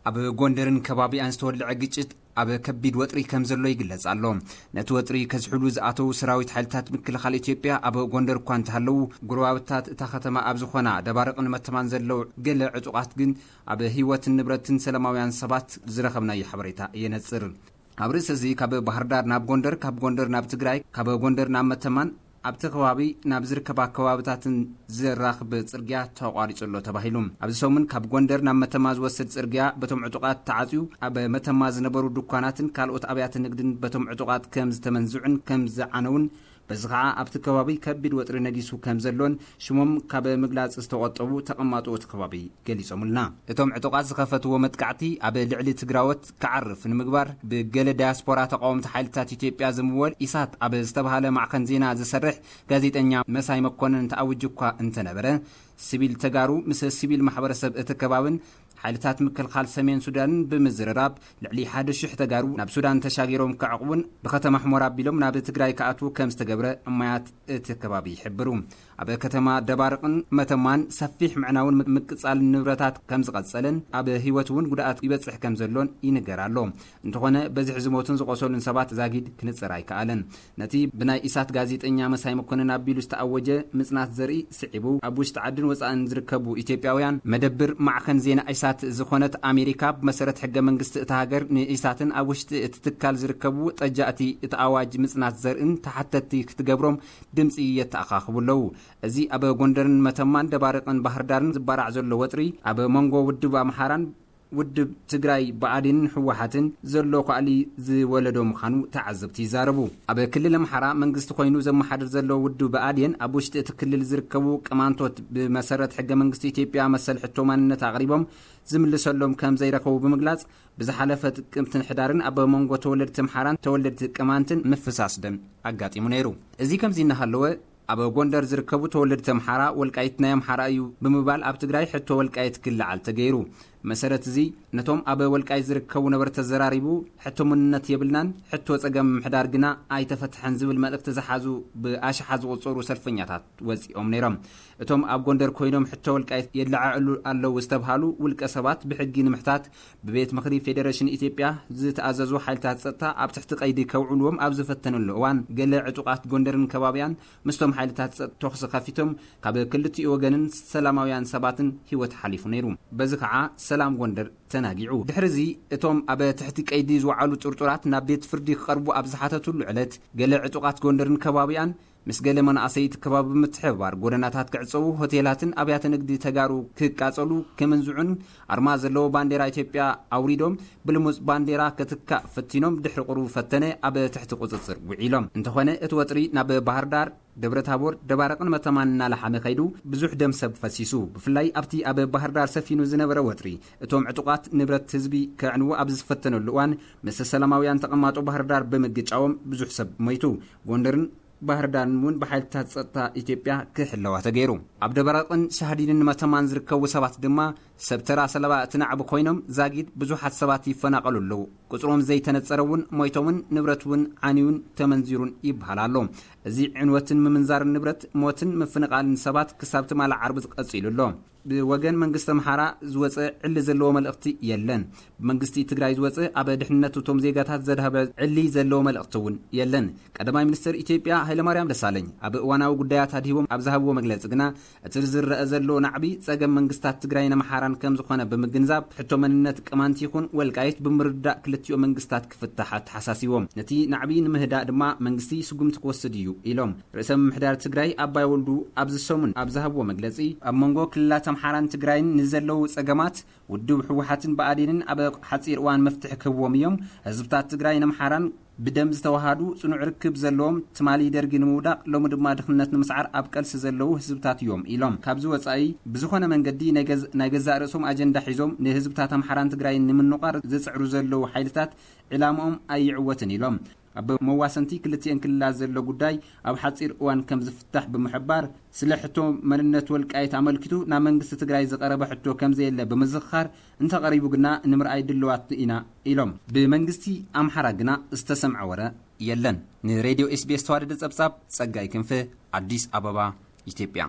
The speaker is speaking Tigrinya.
ኣብ ጎንደርን ከባቢኣን ዝተወልዐ ግጭት ኣብ ከቢድ ወጥሪ ከም ዘሎ ይግለጽ ኣሎ። ነቲ ወጥሪ ከዝሕሉ ዝኣተዉ ሰራዊት ሓይልታት ምክልኻል ኢትዮጵያ ኣብ ጎንደር እኳ እንተሃለዉ፣ ጎረባብታት እታ ከተማ ኣብ ዝኾና ደባርቕን መተማን ዘለዉ ገለ ዕጡቓት ግን ኣብ ህይወትን ንብረትን ሰላማውያን ሰባት ዝረኸብናዮ ሓበሬታ የነጽር። ኣብ ርእሲ እዚ ካብ ባህር ዳር ናብ ጎንደር፣ ካብ ጎንደር ናብ ትግራይ፣ ካብ ጎንደር ናብ መተማን ኣብቲ ከባቢ ናብ ዝርከባ ከባብታትን ዘራኽብ ጽርግያ ተቋሪጹ ኣሎ ተባሂሉ። ኣብዚ ሰሙን ካብ ጎንደር ናብ መተማ ዝወስድ ጽርግያ በቶም ዕጡቓት ተዓጽዩ፣ ኣብ መተማ ዝነበሩ ድኳናትን ካልኦት ኣብያተ ንግድን በቶም ዕጡቓት ከም ዝተመንዝዑን ከም ዝዓነውን፣ በዚ ኸዓ ኣብቲ ከባቢ ከቢድ ወጥሪ ነጊሱ ከም ዘሎን ሽሞም ካብ ምግላጽ ዝተቖጠቡ ተቐማጦ እቲ ከባቢ ገሊጾምልና። እቶም ዕጡቓት ዝኸፈትዎ መጥቃዕቲ ኣብ ልዕሊ ትግራዎት ክዓርፍ ንምግባር ብገለ ዳያስፖራ ተቃወምቲ ሓይልታት ኢትዮጵያ ዝምወል ኢሳት ኣብ ዝተባሃለ ማዕኸን ዜና ዝሰርሕ ጋዜጠኛ መሳይ መኮነን ተኣውጅ እኳ እንተነበረ፣ ሲቪል ተጋሩ ምስ ሲቪል ማሕበረሰብ እቲ ከባብን ሓይልታት ምክልኻል ሰሜን ሱዳንን ብምዝርራብ ልዕሊ ሓደ ሽሕ ተጋሩ ናብ ሱዳን ተሻጊሮም ክዕቕቡን ብከተማ ሕሞራ ኣቢሎም ናብ ትግራይ ክኣትዉ ከም ዝተገብረ እማያት እቲ ከባቢ ይሕብሩ። ኣብ ከተማ ደባርቕን መተማን ሰፊሕ ምዕናውን ምቅጻል ንብረታት ከም ዝቐጸለን ኣብ ህይወት እውን ጉድኣት ይበጽሕ ከም ዘሎን ይንገር ኣሎ። እንተኾነ በዝሒ ዝሞቱን ዝቆሰሉን ሰባት ዛጊድ ክንጽር ኣይከኣለን። ነቲ ብናይ ኢሳት ጋዜጠኛ መሳይ መኮነን ኣቢሉ ዝተኣወጀ ምጽናት ዘርኢ ስዒቡ፣ ኣብ ውሽጢ ዓድን ወጻእን ዝርከቡ ኢትዮጵያውያን መደብር ማዕኸን ዜና ኢሳት ዝኾነት ኣሜሪካ ብመሰረት ሕገ መንግስቲ እታ ሃገር ንኢሳትን ኣብ ውሽጢ እቲ ትካል ዝርከቡ ጠጃእቲ እቲ ኣዋጅ ምጽናት ዘርእን ተሓተትቲ ክትገብሮም ድምጺ የተኣኻኽቡ ኣለዉ። እዚ ኣብ ጎንደርን መተማን ደባርቕን ባህር ዳርን ዝባራዕ ዘሎ ወጥሪ ኣብ መንጎ ውድብ ኣምሓራን ውድብ ትግራይ ብኣዴንን ህወሓትን ዘሎ ኳዕሊ ዝወለዶ ምዃኑ ተዓዘብቲ ይዛረቡ። ኣብ ክልል ኣምሓራ መንግስቲ ኮይኑ ዘመሓድር ዘሎ ውድብ ብኣዴን ኣብ ውሽጢ እቲ ክልል ዝርከቡ ቅማንቶት ብመሰረት ሕገ መንግስቲ ኢትዮጵያ መሰል ሕቶ ማንነት ኣቕሪቦም ዝምልሰሎም ከም ዘይረኸቡ ብምግላጽ፣ ብዝሓለፈ ጥቅምትን ሕዳርን ኣብ መንጎ ተወለድቲ ኣምሓራን ተወለድቲ ቅማንትን ምፍሳስ ደም ኣጋጢሙ ነይሩ። እዚ ከምዚ እናሃለወ፣ ኣብ ጎንደር ዝርከቡ ተወለድቲ ኣምሓራ፣ ወልቃይት ናይ ኣምሓራ እዩ ብምባል ኣብ ትግራይ ሕቶ ወልቃይት ክለዓል ተገይሩ። መሰረት እዚ፣ ነቶም ኣብ ወልቃይት ዝርከቡ ነበርቲ ተዘራሪቡ፣ ሕቶ መንነት የብልናን፣ ሕቶ ጸገም ምሕዳር ግና ኣይተፈትሐን ዝብል መልእኽቲ ዝሓዙ ብኣሽሓት ዝቑጸሩ ሰልፈኛታት ወጺኦም ነይሮም። እቶም ኣብ ጎንደር ኮይኖም ሕቶ ወልቃይት የለዓዕሉ ኣለዉ ዝተብሃሉ ውልቀ ሰባት ብሕጊ ንምሕታት ብቤት ምኽሪ ፌዴሬሽን ኢትዮጵያ ዝተኣዘዙ ሓይልታት ጸጥታ ኣብ ትሕቲ ቀይዲ ከውዕልዎም ኣብ ዝፈተንሉ እዋን፣ ገለ ዕጡቓት ጎንደርን ከባቢያን ምስቶም ሓይልታት ጸጥታ ተኹሲ ከፊቶም ካብ ክልቲኡ ወገንን ሰላማውያን ሰባትን ህይወት ሓሊፉ ነይሩ። በዚ ከዓ ሰላም ጎንደር ተናጊዑ። ድሕሪ እዚ እቶም ኣብ ትሕቲ ቀይዲ ዝወዓሉ ጥርጡራት ናብ ቤት ፍርዲ ክቐርቡ ኣብ ዝሓተትሉ ዕለት፣ ገለ ዕጡቓት ጎንደርን ከባቢኣን ምስ ገለ መናእሰይ እቲ ከባቢ ብምትሕብባር ጎደናታት ክዕጸዉ፣ ሆቴላትን ኣብያተ ንግዲ ተጋሩ ክቃጸሉ፣ ክምንዝዑን ኣርማ ዘለዎ ባንዴራ ኢትዮጵያ ኣውሪዶም ብልሙጽ ባንዴራ ክትካእ ፈቲኖም ድሕሪ ቁሩብ ፈተነ ኣብ ትሕቲ ቁጽጽር ውዒሎም። እንተኾነ እቲ ወጥሪ ናብ ባህር ዳር፣ ደብረ ታቦር፣ ደባርቕን መተማን እናለሓመ ከይዱ ብዙሕ ደም ሰብ ፈሲሱ። ብፍላይ ኣብቲ ኣብ ባህር ዳር ሰፊኑ ዝነበረ ወጥሪ እቶም ዕጡቓት ንብረት ህዝቢ ከዕንዉ ኣብ ዝፈተነሉ እዋን ምስ ሰላማውያን ተቐማጦ ባህር ዳር ብምግጫዎም ብዙሕ ሰብ ሞይቱ። ጎንደርን ባህር ዳርን እውን ብሓይልታት ጸጥታ ኢትዮጵያ ክሕለዋ ተገይሩ። ኣብ ደባርቕን ሻህዲንን መተማን ዝርከቡ ሰባት ድማ ሰብ ተራ ሰለባ እቲ ናዕቢ ኮይኖም፣ ዛጊድ ብዙሓት ሰባት ይፈናቐሉ ኣለዉ። ቁጽሮም ዘይተነጸረ እውን ሞይቶምን ንብረት እውን ዓንዩን ተመንዚሩን ይበሃል ኣሎ። እዚ ዕንወትን ምምንዛርን ንብረት፣ ሞትን ምፍንቓልን ሰባት ክሳብ ትማሊ ዓርቢ ቀጺሉ ኣሎ። ብወገን መንግስቲ ኣምሓራ ዝወጸ ዕሊ ዘለዎ መልእኽቲ የለን። ብመንግስቲ ትግራይ ዝወጸ ኣብ ድሕንነት እቶም ዜጋታት ዘድሃበ ዕሊ ዘለዎ መልእኽቲ እውን የለን። ቀዳማይ ሚኒስትር ኢትዮጵያ ሃይለማርያም ደሳለኝ ኣብ እዋናዊ ጉዳያት ኣድሂቦም ኣብ ዝሃብዎ መግለጺ ግና፣ እቲ ዝረአ ዘሎ ናዕቢ ጸገም መንግስታት ትግራይን ኣምሓራን ከም ዝኾነ ብምግንዛብ፣ ሕቶ መንነት ቅማንት ይኹን ወልቃይት ብምርዳእ ክልቲኡ መንግስታት ክፍታሕ ኣተሓሳሲቦም። ነቲ ናዕቢ ንምህዳእ ድማ መንግስቲ ስጉምቲ ክወስድ እዩ ኢሎም። ርእሰ ምምሕዳር ትግራይ ኣባይ ወልዱ ኣብዚ ሰሙን ኣብ ዝሃብዎ መግለጺ፣ ኣብ መንጎ ክልላት ኣምሓራን ትግራይን ንዘለዉ ጸገማት ውድብ ህወሓትን ብኣዴንን ኣብ ሓጺር እዋን መፍትሒ ክህብዎም እዮም። ህዝብታት ትግራይን ኣምሓራን ብደም ዝተዋሃዱ ጽኑዕ ርክብ ዘለዎም፣ ትማሊ ደርጊ ንምውዳቕ ሎሚ ድማ ድኽነት ንምስዓር ኣብ ቀልሲ ዘለዉ ህዝብታት እዮም ኢሎም። ካብዚ ወጻኢ ብዝኾነ መንገዲ ናይ ገዝ-፣ ናይ ገዛእ ርእሶም ኣጀንዳ ሒዞም ንህዝብታት ኣምሓራን ትግራይን ንምንቋር ዝጽዕሩ ዘለዉ ሓይልታት ዕላምኦም ኣይዕወትን ኢሎም። ኣብ መዋሰንቲ ክልቲኤን ክልላት ዘሎ ጉዳይ ኣብ ሓጺር እዋን ከም ዝፍታሕ ብምሕባር፣ ስለ ሕቶ መንነት ወልቃይት ኣመልኪቱ ናብ መንግስቲ ትግራይ ዝቐረበ ሕቶ ከም ዘየለ ብምዝኽኻር፣ እንተቐሪቡ ግና ንምርኣይ ድልዋት ኢና ኢሎም። ብመንግስቲ ኣምሓራ ግና ዝተሰምዐ ወረ የለን። ንሬድዮ ኤስቢኤስ ተዋደደ ጸብጻብ ጸጋይ ክንፈ፣ ኣዲስ ኣበባ፣ ኢትዮጵያ።